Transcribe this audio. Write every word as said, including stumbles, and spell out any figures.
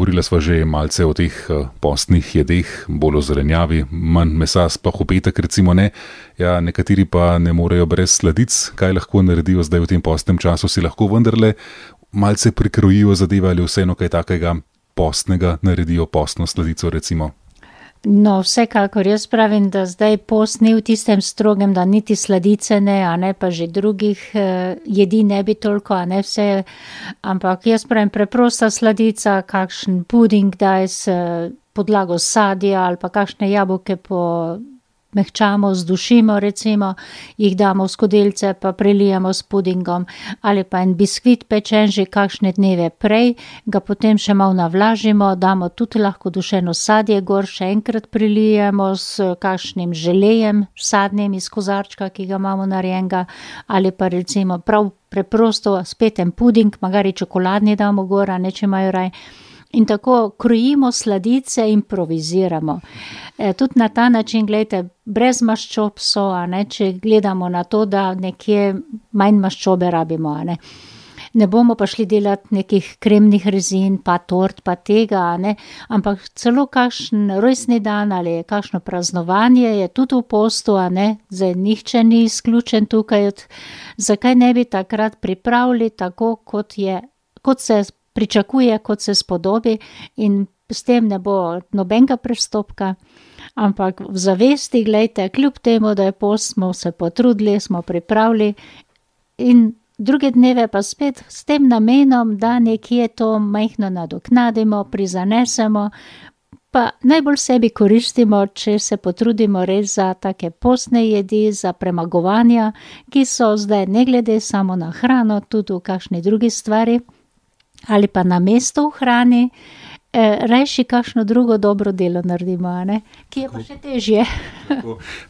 govorila sva že malce o teh postnih jedeh, bolj o zelenjavi, manj mesa, sploh v petek recimo ne. Ja, nekateri pa ne morejo brez sladic. Kaj lahko naredijo zdaj v tem postnem času? Si lahko vendarle malce prikrojijo zadeve ali vseeno kaj takega postnega naredijo, postno sladico recimo? No, vsekakor jaz pravim, da zdaj post ni v tistem strogem, da niti sladice ne, a ne pa že drugih eh, jedi ne bi toliko, a ne vse, ampak jaz pravim preprosta sladica, kakšen puding daj s podlago sadja ali pa kakšne jabolke po mehčamo, zdušimo recimo, jih damo v skodelice pa prelijemo s pudingom ali pa en biskvit pečen že kakšne dneve prej, ga potem še malo navlažimo, damo tudi lahko dušeno sadje gor, še enkrat prilijemo s kakšnim želejem sadnim iz kozarčka, ki ga imamo narejenega, ali pa recimo prav preprosto spet en puding, magari čokoladni damo gor, a ne, če imajo raj. In tako krojimo sladice, improviziramo. E, tudi na ta način, gledajte, brez maščob so, a ne, če gledamo na to, da nekje manj maščobe rabimo, a ne. Ne bomo pa šli delati nekih kremnih rezin, pa tort, pa tega, a ne, ampak celo kakšen rojstni dan ali kakšno praznovanje je tudi v postu, a ne, zdaj nihče ni izključen tukaj, zakaj ne bi takrat pripravili tako, kot je, kot se pričakuje, kot se spodobi in s tem ne bo nobenega prestopka, ampak v zavesti, glejte, kljub temu, da je post, smo se potrudili, smo pripravili in druge dneve pa spet s tem namenom, da nekje to majhno nadoknadimo, prizanesemo, pa najbolj sebi koristimo, če se potrudimo res za take postne jedi, za premagovanja, ki so zdaj ne glede samo na hrano, tudi v kakšni drugi stvari, ali pa na mesto v hrani, eh, rajši kakšno drugo dobro delo naredimo, a ne? Ki je pa še težje.